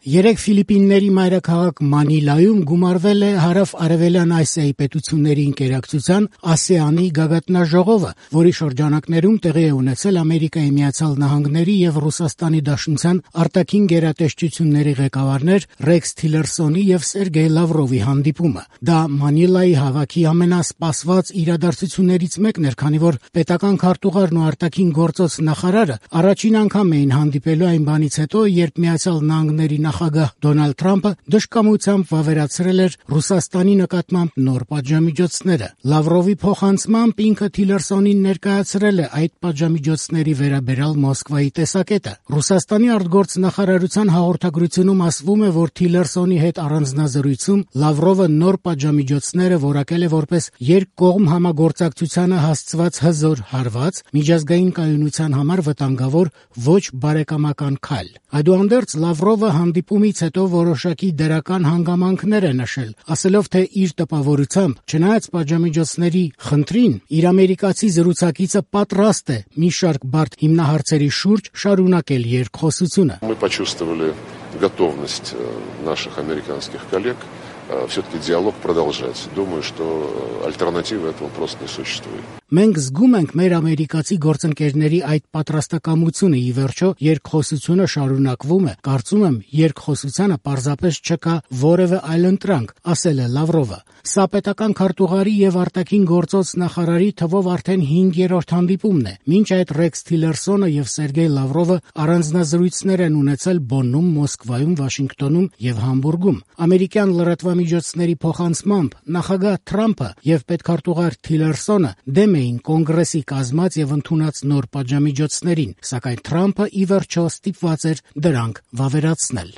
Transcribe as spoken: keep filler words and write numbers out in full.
Երեկ Ֆիլիպինների մայրաքաղաք Մանիլայում գումարվել է հարավ-արևելյան Ասիայի պետությունների ընկերակցության ԱՍԵԱՆ-ի գագաթնաժողովը, որի շրջանակներում տեղի է ունեցել Ամերիկայի Միացյալ Նահանգների եւ Ռուսաստանի Դաշնության արտաքին գերատեսչությունների ղեկավարներ Ռեքս Թիլերսոնի եւ Սերգեյ Լավրովի հանդիպումը։ Դա Մանիլայի հավաքի ամենասպասված իրադարձություններից մեկն էր, քանի որ պետական քարտուղարն ու արտաքին գործոց նախարարը առաջին անգամ էին հանդիպելու այն բանից հետո, երբ Միացյալ Նահանգների նախագահ Դոնալդ Թրամփը դժկամությամբ վավերացրել էր Ռուսաստանի նկատմամբ նոր պատժամիջոցները։ Լավրովի փոխանցմամբ ինքը Թիլերսոնին ներկայացրել է այդ պատժամիջոցների վերաբերյալ Մոսկվայի տեսակետը։ Ռուսաստանի արտգործնախարարության հաղորդագրությունում ասվում է, որ Թիլերսոնի հետ առանձնազրույցում Լավրովը նոր պատժամիջոցները որակել է որպես երկկողմ համագործակցությանը հասցված հզոր հարված, միջազգային կայունության համար վտանգավոր ոչ բարեկամական քայլ։ Այդուհանդերձ Լավրովը հանդիպումից հետո որոշակի դրական հանգամանքներ է նշել, ասելով, թե իր տպավորությամբ, չնայած պատժամիջոցների խնդրին, իր ամերիկացի զրուցակիցը պատրաստ է մի շարք բարդ հիմնահարցերի շուրջ շարունակել երկխոսությունը։ Мы почувствовали готовность наших американских коллег все-таки диалог продолжать. Думаю, что альтернативы этого просто не существует. Մենք զգում ենք մեր ամերիկացի գործընկերների այդ պատրաստակամությունը, ի վերջո երկխոսությունը շարունակվում է։ Կարծում եմ, երկխոսությանը պարզապես չկա որևէ այլընտրանք, ասել է Լավրովը։ Սա պետական քարտուղարի եւ արտաքին գործոց նախարարի թվով արդեն հինգերորդ հանդիպումն է։ Մինչ այդ Ռեքս Թիլերսոնը եւ Սերգեյ Լավրովը առանձնազրույցներ են ունեցել Բոննում, Մոսկվայում, Վաշինգտոնում եւ Համբուրգում։ Ամերիկյան լրատվամիջոցների փոխանցմամբ նախագահ Թրամփը եւ պետքարտուղար Թիլերսոնը դեմ էին կոնգրեսի կազմած եւ ընդունած նոր պատժամիջոցներին, սակայն Թրամփը ի վերջո ստիպված էր դրանք վավերացնել։